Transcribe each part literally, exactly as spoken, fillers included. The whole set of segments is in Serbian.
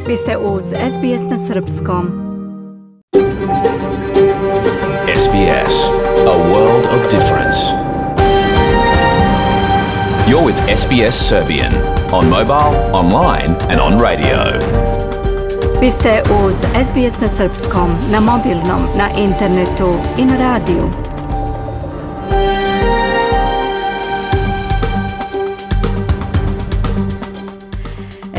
Vi ste uz S B S na srpskom. S B S, a world of difference. You're with S B S Serbian on mobile, online and on radio. Vi ste uz S B S na srpskom, na mobilnom, na internetu i na radiju.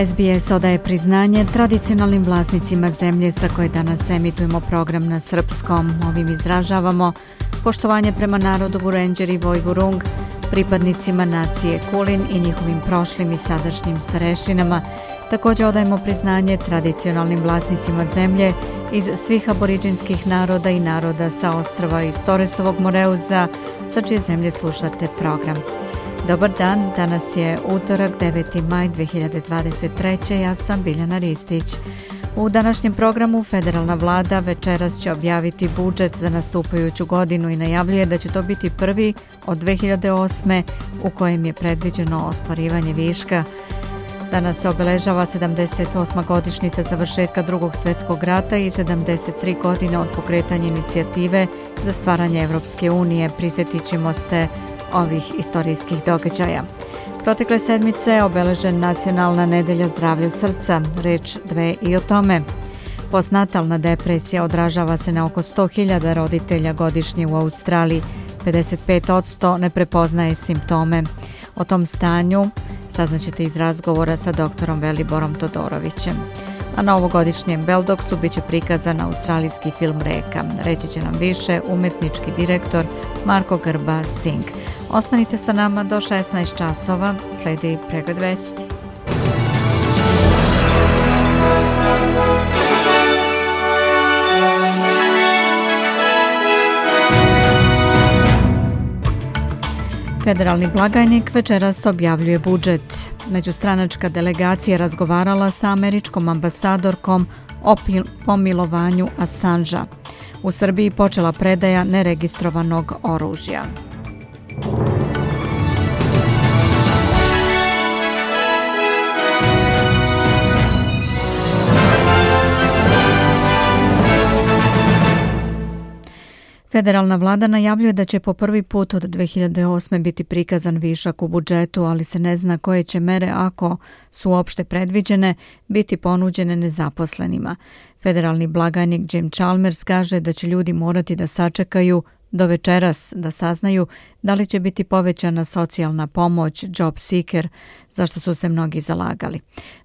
S B S odaje priznanje tradicionalnim vlasnicima zemlje sa koje danas emitujemo program na srpskom. Ovim izražavamo poštovanje prema narodu Vurenđer i Vojvurung, pripadnicima nacije Kulin i njihovim prošlim i sadašnjim starešinama. Također odajemo priznanje tradicionalnim vlasnicima zemlje iz svih aboriđinskih naroda i naroda sa ostrava iz Toresovog Moreuza, sa čije zemlje slušate program. Dobar dan, danas je utorak deveti maj dve hiljade dvadeset treće. Ja sam Biljana Ristić. U današnjem programu federalna vlada večeras će objaviti budžet za nastupajuću godinu i najavljuje da će to biti prvi od dve hiljade osme u kojem je predviđeno ostvarivanje viška. Danas se obeležava sedamdeset osma godišnjica završetka Drugog svjetskog rata i sedamdeset tri godine od pokretanja inicijative za stvaranje Evropske unije. Prisjetit ćemo se ovih istorijskih događaja. Protekle sedmice je obeležen Nacionalna nedelja zdravlja srca, reč dve i o tome. Postnatalna depresija odražava se na oko sto hiljada roditelja godišnje u Australiji, pedeset pet posto ne prepoznaje simptome. O tom stanju saznaćete iz razgovora sa doktorom Veliborom Todorovićem. A na ovogodišnjem Beldoksu bit će prikazan australijski film Reka. Reći će nam više umetnički direktor Marko Grba Singh. Ostanite sa nama do šesnaest časova, sledi pregled vesti. Federalni blagajnik večeras objavljuje budžet. Međustranačka delegacija razgovarala sa američkom ambasadorkom o pomilovanju Assangea. U Srbiji počela predaja neregistrovanog oružja. Federalna vlada najavljuje da će po prvi put od dve hiljade osme biti prikazan višak u budžetu, ali se ne zna koje će mere, ako su uopšte predviđene, biti ponuđene nezaposlenima. Federalni blagajnik Jim Chalmers kaže da će ljudi morati da sačekaju do večeras da saznaju da li će biti povećana socijalna pomoć, job seeker, zašto su se mnogi zalagali.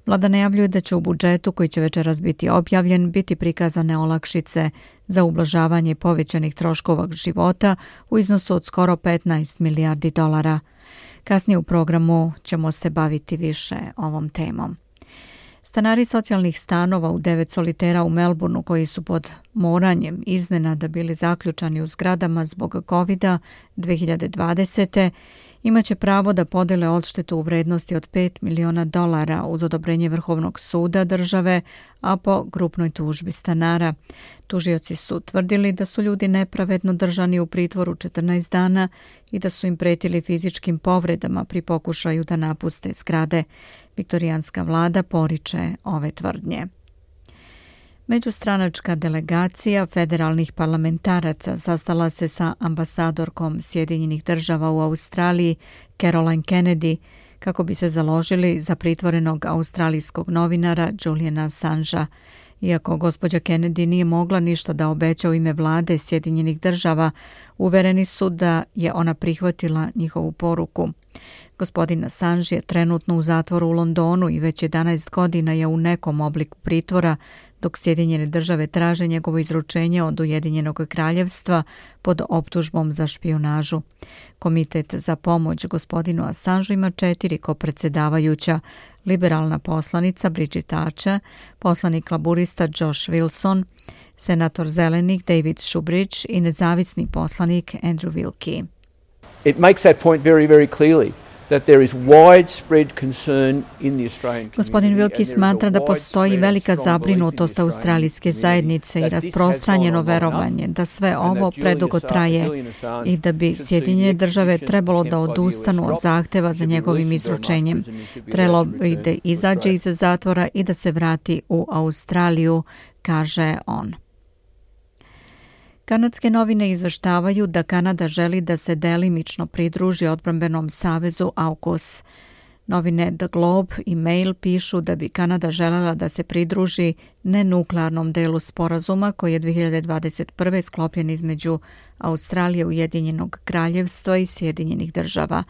Vlada najavljuje da će u budžetu, koji će večeras biti objavljen, biti prikazane olakšice za ublažavanje povećanih troškova života u iznosu od skoro petnaest milijardi dolara. Kasnije u programu ćemo se baviti više ovom temom. Stanari socijalnih stanova u devet solitera u Melbourneu, koji su pod moranjem iznenada bili zaključani u zgradama zbog kovida dve hiljade dvadesete. imaće pravo da podele odštetu u vrednosti od pet miliona dolara uz odobrenje Vrhovnog suda države, a po grupnoj tužbi stanara. Tužioci su tvrdili da su ljudi nepravedno držani u pritvoru četrnaest dana i da su im pretili fizičkim povredama pri pokušaju da napuste zgrade. Viktorijanska vlada poriče ove tvrdnje. Međustranačka delegacija federalnih parlamentaraca sastala se sa ambasadorkom Sjedinjenih država u Australiji, Caroline Kennedy, kako bi se založili za pritvorenog australijskog novinara Juliana Assangea. Iako gospođa Kennedy nije mogla ništa da obeća u ime vlade Sjedinjenih država, uvereni su da je ona prihvatila njihovu poruku. Gospodin Assange je trenutno u zatvoru u Londonu i već jedanaest godina je u nekom obliku pritvora, dok Sjedinjene države traže njegovo izručenje od Ujedinjenog kraljevstva pod optužbom za špijunažu. Komitet za pomoć gospodinu Assangeu ima četiri kopredsedavajuća: liberalna poslanica Bridget Archer, poslanik laburista Josh Wilson, senator zelenih David Shoebridge i nezavisni poslanik Andrew Wilkie. It makes that point very, very clearly. Gospodin Wilkie smatra da postoji velika zabrinutost australijske zajednice i rasprostranjeno verovanje da sve ovo predugo traje i da bi Sjedinjene države trebalo da odustanu od zahteva za njegovim izručenjem. Trebalo bi da izađe iz zatvora i da se vrati u Australiju, kaže on. Kanadske novine izveštavaju da Kanada želi da se delimično pridruži odbrambenom savezu AUKUS. Novine The Globe i Mail pišu da bi Kanada želela da se pridruži nenuklearnom delu sporazuma koji je dve hiljade dvadeset prve sklopljen između Australije, Ujedinjenog kraljevstva i Sjedinjenih država.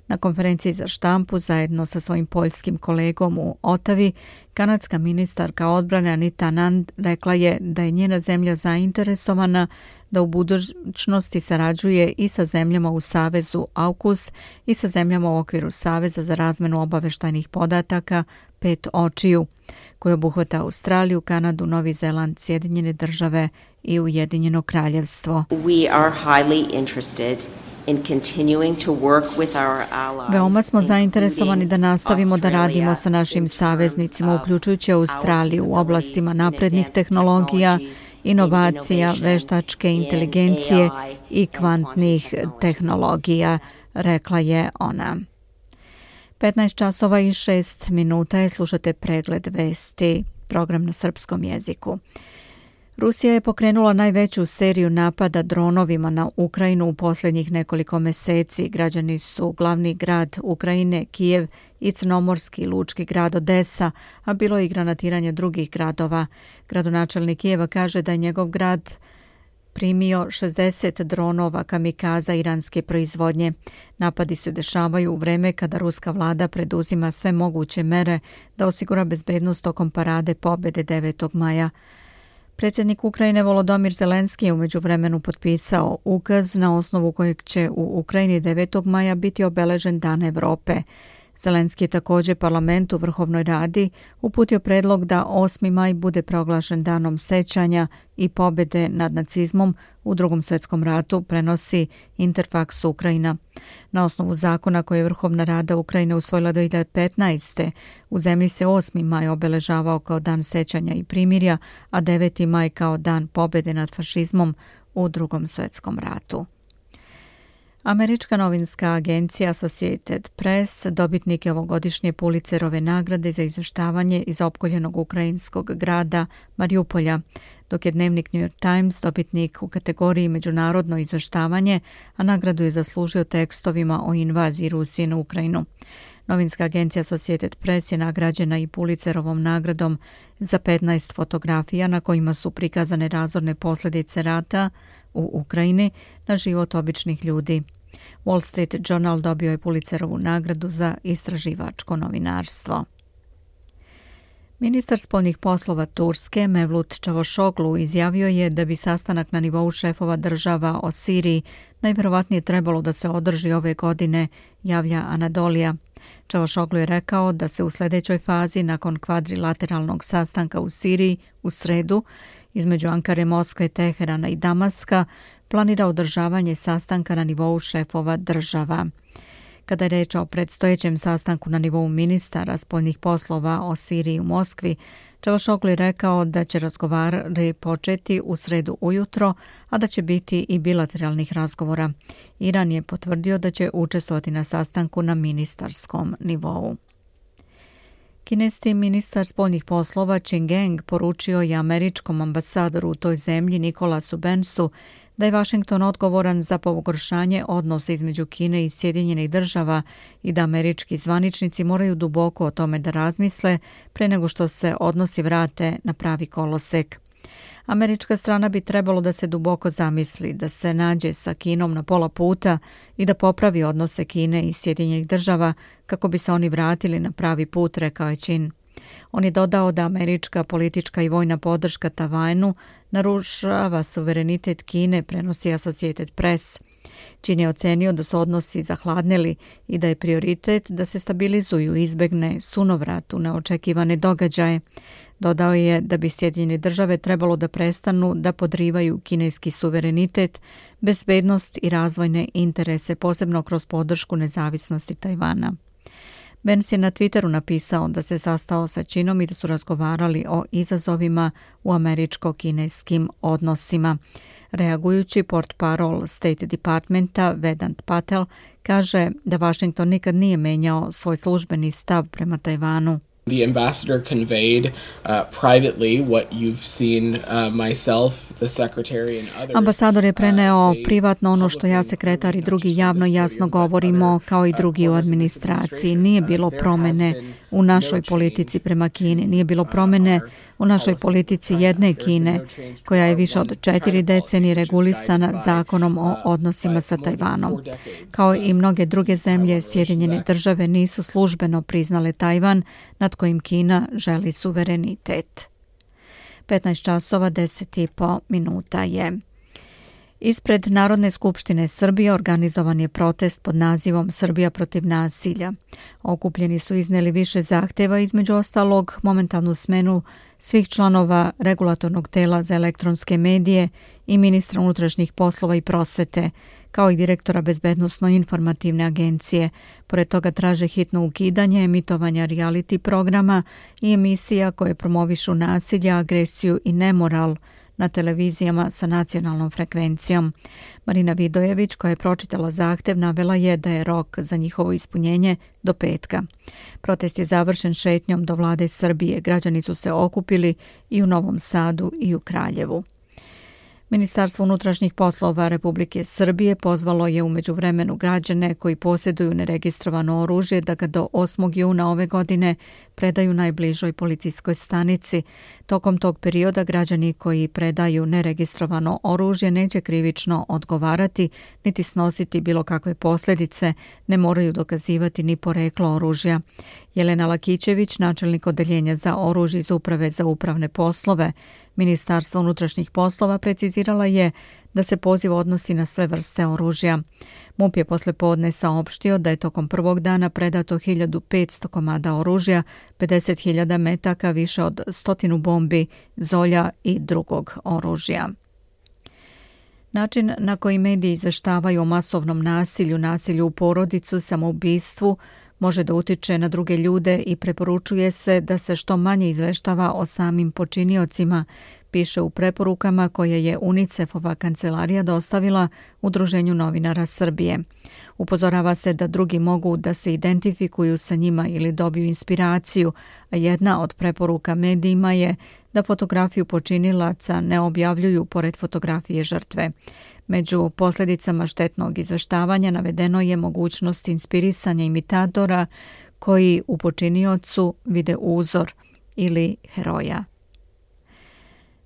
Na konferenciji za štampu zajedno sa svojim poljskim kolegom u Otavi, kanadska ministarka odbrane Anita Anand rekla je da je njena zemlja zainteresovana da u budućnosti sarađuje i sa zemljama u savezu AUKUS i sa zemljama u okviru Saveza za razmenu obaveštajnih podataka Pet očiju, koji obuhvata Australiju, Kanadu, Novi Zeland, Sjedinjene države i Ujedinjeno kraljevstvo. We are highly interested in continuing to work with our allies. Veoma smo zainteresovani da nastavimo da radimo sa našim saveznicima, uključujući Australiju, u oblastima naprednih tehnologija, inovacija, veštačke inteligencije i kvantnih tehnologija, rekla je ona. petnaest časova i šest minuta je, slušate pregled vesti, program na srpskom jeziku. Rusija je pokrenula najveću seriju napada dronovima na Ukrajinu u posljednjih nekoliko meseci. Građani su glavni grad Ukrajine, Kijev i crnomorski lučki grad Odesa, a bilo je i granatiranje drugih gradova. Gradonačelnik Kijeva kaže da je njegov grad primio šezdeset dronova kamikaza iranske proizvodnje. Napadi se dešavaju u vreme kada ruska vlada preduzima sve moguće mere da osigura bezbednost tokom parade pobjede devetog maja. Predsjednik Ukrajine Volodymyr Zelenski je u međuvremenu potpisao ukaz na osnovu kojeg će u Ukrajini devetog maja biti obeležen Dan Evrope. Zelenski je također parlamentu Vrhovnoj radi uputio predlog da osmi maj bude proglašen danom sećanja i pobjede nad nacizmom u Drugom svjetskom ratu, prenosi Interfax Ukrajina. Na osnovu zakona koje je Vrhovna rada Ukrajine usvojila dve hiljade petnaeste. u zemlji se osmi maj obeležavao kao dan sećanja i primirja, a deveti maj kao dan pobjede nad fašizmom u Drugom svjetskom ratu. Američka novinska agencija Associated Press dobitnik je ovogodišnje Pulitzerove nagrade za izveštavanje iz opkoljenog ukrajinskog grada Mariupolja, dok je dnevnik New York Times dobitnik u kategoriji međunarodno izveštavanje, a nagradu je zaslužio tekstovima o invaziji Rusije na Ukrajinu. Novinska agencija Associated Press je nagrađena i Pulitzerovom nagradom za petnaest fotografija na kojima su prikazane razorne posljedice rata u Ukrajini na život običnih ljudi. Wall Street Journal dobio je Pulitzerovu nagradu za istraživačko novinarstvo. Ministar spoljnih poslova Turske Mevlut Čavuşoglu izjavio je da bi sastanak na nivou šefova država o Siriji najvjerovatnije trebalo da se održi ove godine, javlja Anadolija. Čavuşoglu je rekao da se u sljedećoj fazi nakon kvadrilateralnog sastanka u Siriji u sredu između Ankare, Moskve, Teherana i Damaska planira održavanje sastanka na nivou šefova država. Kada je reč o predstojećem sastanku na nivou ministara spoljnih poslova o Siriji u Moskvi, Čavuşoglu je rekao da će razgovori početi u sredu ujutro, a da će biti i bilateralnih razgovora. Iran je potvrdio da će učestvovati na sastanku na ministarskom nivou. Kineski ministar spoljnih poslova Qin Gang poručio je američkom ambasadoru u toj zemlji Nikolasu Bensu da je Washington odgovoran za pogoršanje odnosa između Kine i Sjedinjenih država i da američki zvaničnici moraju duboko o tome da razmisle pre nego što se odnosi vrate na pravi kolosek. Američka strana bi trebalo da se duboko zamisli, da se nađe sa Kinom na pola puta i da popravi odnose Kine i Sjedinjenih država kako bi se oni vratili na pravi put, rekao je Qin. On je dodao da američka politička i vojna podrška Tajvanu narušava suverenitet Kine, prenosi Associated Press. Čin je ocenio da su odnosi zahladnili i da je prioritet da se stabilizuju i izbegne sunovrat u neočekivane događaje. Dodao je da bi Sjedinjene države trebalo da prestanu da podrivaju kineski suverenitet, bezbednost i razvojne interese, posebno kroz podršku nezavisnosti Tajvana. Pence je na Twitteru napisao da se sastao sa Činom i da su razgovarali o izazovima u američko-kineskim odnosima. Reagujući, portparol State Departmenta Vedant Patel kaže da Washington nikad nije menjao svoj službeni stav prema Tajvanu. The ambassador conveyed uh, privately what you've seen uh, myself, the secretary and others. Ambasador je preneo privatno ono što ja, sekretar i drugi javno jasno govorimo, kao i drugi u administraciji. Nije bilo promene u našoj politici prema Kini, nije bilo promene u našoj politici jedne Kine, koja je više od četiri decenije regulisana zakonom o odnosima sa Tajvanom. Kao i mnoge druge zemlje, Sjedinjene države nisu službeno priznale Tajvan, nad kojim Kina želi suverenitet. petnaest časova deset i po minuta je. Ispred Narodne skupštine Srbije organizovan je protest pod nazivom Srbija protiv nasilja. Okupljeni su izneli više zahteva, između ostalog momentalnu smenu svih članova regulatornog tela za elektronske medije i ministra unutrašnjih poslova i prosvete, kao i direktora Bezbednosno-informativne agencije. Pored toga traže hitno ukidanje emitovanja reality programa i emisija koje promovišu nasilje, agresiju i nemoral na televizijama sa nacionalnom frekvencijom. Marina Vidojević, koja je pročitala zahtev, navela je da je rok za njihovo ispunjenje do petka. Protest je završen šetnjom do vlade Srbije. Građani su se okupili i u Novom Sadu i u Kraljevu. Ministarstvo unutrašnjih poslova Republike Srbije pozvalo je u međuvremenu građane koji posjeduju neregistrovano oružje da ga do osmog juna ove godine predaju najbližoj policijskoj stanici. Tokom tog perioda građani koji predaju neregistrovano oružje neće krivično odgovarati niti snositi bilo kakve posljedice, ne moraju dokazivati ni poreklo oružja. Jelena Lakićević, načelnik odeljenja za oružje iz Uprave za upravne poslove Ministarstva unutrašnjih poslova, precizirala je da se poziv odnosi na sve vrste oružja. MUP je posle podne saopštio da je tokom prvog dana predato hiljadu petsto komada oružja, pedeset hiljada metaka, više od stotinu bombi, zolja i drugog oružja. Način na koji mediji izveštavaju o masovnom nasilju, nasilju u porodicu, samoubistvu, može da utiče na druge ljude i preporučuje se da se što manje izveštava o samim počiniocima, piše u preporukama koje je UNICEF-ova kancelarija dostavila Udruženju novinara Srbije. Upozorava se da drugi mogu da se identifikuju sa njima ili dobiju inspiraciju, a jedna od preporuka medijima je da fotografiju počinilaca ne objavljuju pored fotografije žrtve. Među posljedicama štetnog izveštavanja navedeno je mogućnost inspirisanja imitatora koji u počiniocu vide uzor ili heroja.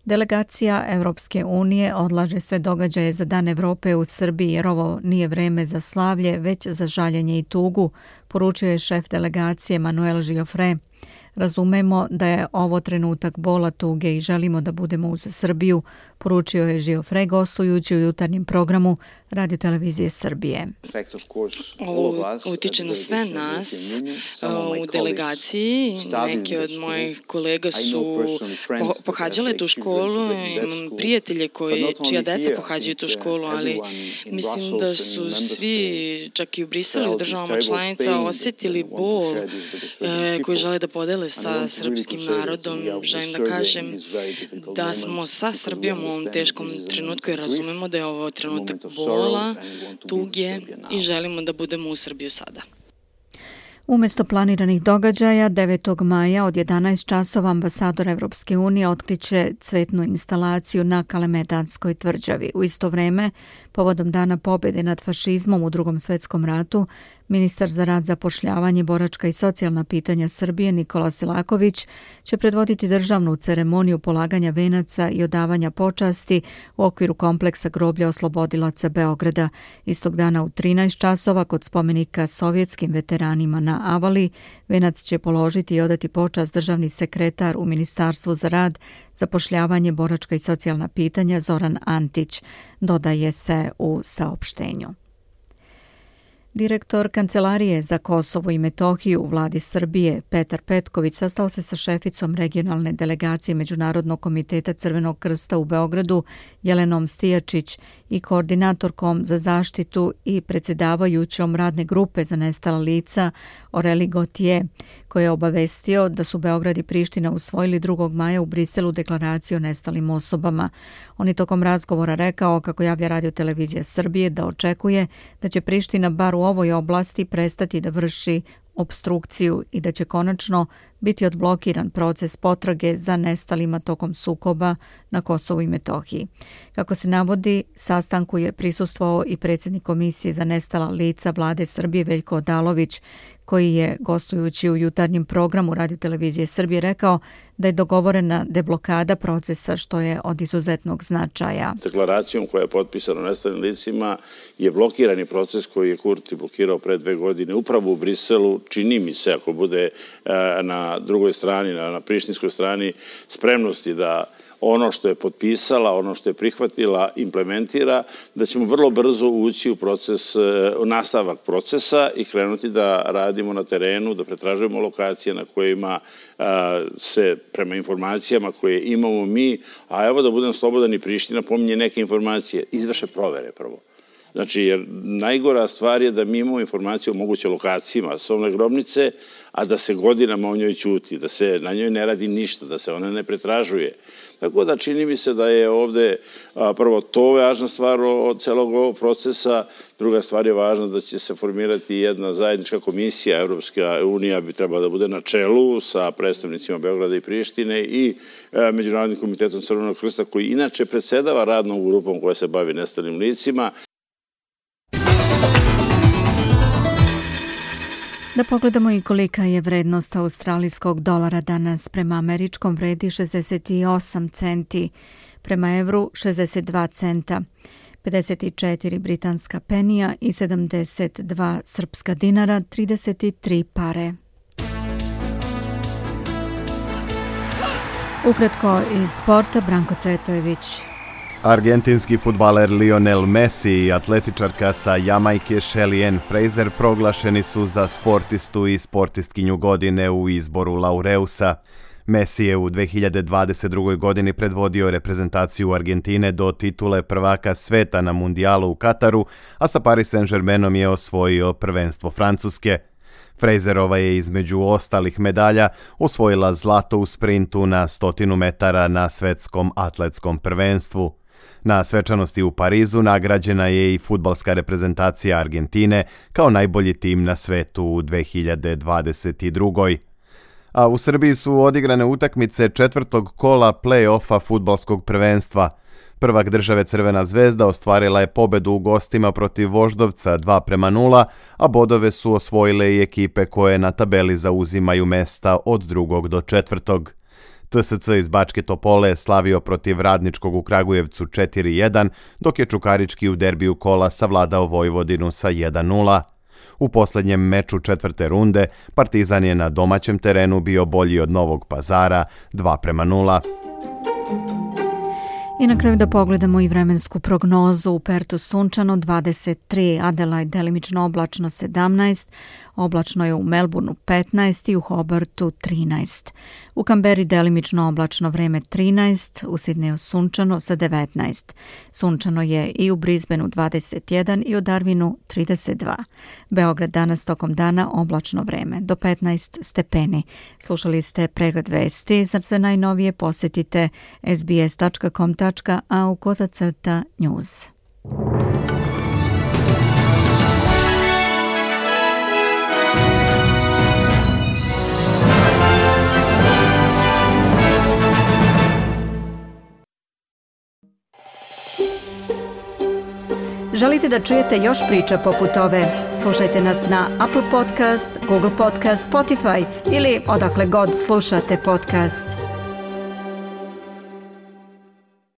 Delegacija Evropske unije odlaže sve događaje za Dan Evrope u Srbiji jer ovo nije vreme za slavlje, već za žaljenje i tugu, poručio je šef delegacije Manuel Giofre. Razumemo da je ovo trenutak bola, tuge i želimo da budemo uz Srbiju, poručio je Giofre gostujući u jutarnjem programu Radio-televizije Srbije. Ovo utiče na sve nas u delegaciji. Neki od mojih kolega su pohađale tu školu, imam prijatelje koji, čija deca pohađaju tu školu, ali mislim da su svi, čak i u Briselu, u državama članica, osjetili bol koji žele da podele sa srpskim narodom. Želim da kažem da smo sa Srbijom u ovom teškom trenutku i razumemo da je ovo trenutak bola, tuge i želimo da budemo u Srbiju sada. Umjesto planiranih događaja, devetog maja od jedanaest časova ambasador Evropske unije otkriće cvetnu instalaciju na Kalemegdanskoj tvrđavi. U isto vreme, povodom Dana pobjede nad fašizmom u Drugom svjetskom ratu, Ministar za rad, zapošljavanje, boračka i socijalna pitanja Srbije Nikola Selaković će predvoditi državnu ceremoniju polaganja venaca i odavanja počasti u okviru kompleksa groblja oslobodilaca Beograda. Istog dana u trinaest časova kod spomenika sovjetskim veteranima na Avali venac će položiti i odati počast državni sekretar u Ministarstvu za rad, zapošljavanje, boračka i socijalna pitanja Zoran Antić, dodaje se u saopštenju. Direktor Kancelarije za Kosovo i Metohiju u vladi Srbije Petar Petković sastao se sa šeficom regionalne delegacije Međunarodnog komiteta Crvenog krsta u Beogradu Jelenom Stijačić i koordinatorkom za zaštitu i predsjedavajućom radne grupe za nestala lica Oreli Gotije, koji je obavestio da su Beograd i Priština usvojili drugog maja u Briselu deklaraciju o nestalim osobama. On je tokom razgovora rekao, kako javlja Radio televizija Srbije, da očekuje da će Priština bar u ovoj oblasti prestati da vrši opstrukciju i da će konačno biti odblokiran proces potrage za nestalima tokom sukoba na Kosovu i Metohiji. Kako se navodi, sastanku je prisustvovao i predsjednik Komisije za nestala lica vlade Srbije Veljko Odalović, koji je, gostujući u jutarnjem programu Radio televizije Srbije, rekao da je dogovorena deblokada procesa, što je od izuzetnog značaja. Deklaracijom koja je potpisana o nestalim licima je blokirani proces koji je Kurti blokirao pre dve godine upravo u Briselu. Čini mi se, ako bude na drugoj strani, na prištinskoj strani, spremnosti da ono što je potpisala, ono što je prihvatila, implementira, da ćemo vrlo brzo ući u proces, u nastavak procesa i krenuti da radimo na terenu, da pretražujemo lokacije na kojima se, prema informacijama koje imamo mi, a evo da budem slobodan, i Priština pominje neke informacije, izvrše provere prvo. Znači, jer najgora stvar je da mi imamo informaciju o moguće lokaciji masovne grobnice, a da se godinama o njoj ćuti, da se na njoj ne radi ništa, da se ona ne pretražuje. Tako da čini mi se da je ovde prvo to važna stvar od celog ovog procesa, druga stvar je važna da će se formirati jedna zajednička komisija, Evropska unija bi trebala da bude na čelu sa predstavnicima Beograda i Prištine i Međunarodnim komitetom Crvenog krsta, koji inače predsedava radnom grupom koja se bavi nestalim licima. Da pogledamo i kolika je vrednost australijskog dolara danas. Prema američkom vredi šezdeset osam centi, prema evru šezdeset dva centa, pedeset četiri britanska penija i sedamdeset dva srpska dinara, trideset tri pare. Ukratko iz sporta, Branko Cvetojević. Argentinski fudbaler Lionel Messi i atletičarka sa Jamajke Shelly Ann Fraser proglašeni su za sportistu i sportistkinju godine u izboru Laureusa. Messi je u dve hiljade dvadeset drugoj. godini predvodio reprezentaciju Argentine do titule prvaka sveta na mundijalu u Kataru, a sa Paris Saint-Germainom je osvojio prvenstvo Francuske. Fraserova je između ostalih medalja osvojila zlato u sprintu na stotinu metara na svetskom atletskom prvenstvu. Na svečanosti u Parizu nagrađena je i fudbalska reprezentacija Argentine kao najbolji tim na svetu u dve hiljade dvadeset drugoj. A u Srbiji su odigrane utakmice četvrtog kola play-offa fudbalskog prvenstva. Prvak države Crvena zvezda ostvarila je pobedu u gostima protiv Voždovca dva prema nula, a bodove su osvojile i ekipe koje na tabeli zauzimaju mesta od drugog do četvrtog. T S C iz Bačke Topole slavio protiv Radničkog u Kragujevcu četiri jedan, dok je Čukarički u derbiju kola savladao Vojvodinu sa jedan nula. U posljednjem meču četvrte runde Partizan je na domaćem terenu bio bolji od Novog Pazara dva prema nula. I na kraju da pogledamo i vremensku prognozu. U Pertu sunčano dvadeset tri, Adelaide delimično oblačno sedamnaest, oblačno je u Melbourneu petnaest i u Hobartu trinaest. U Kamberi delimično oblačno vreme trinaest, u Sidneju sunčano sa devetnaest. Sunčano je i u Brisbaneu dvadeset jedan i u Darwinu trideset dva. Beograd danas tokom dana oblačno vreme do petnaest stepeni. Slušali ste pregled vesti. Za sve najnovije posjetite s b s tačka com tačka a u kozacrta news. Želite da čujete još priča poput ove? Slušajte nas na Apple Podcast, Google Podcast, Spotify ili odakle god slušate podcast.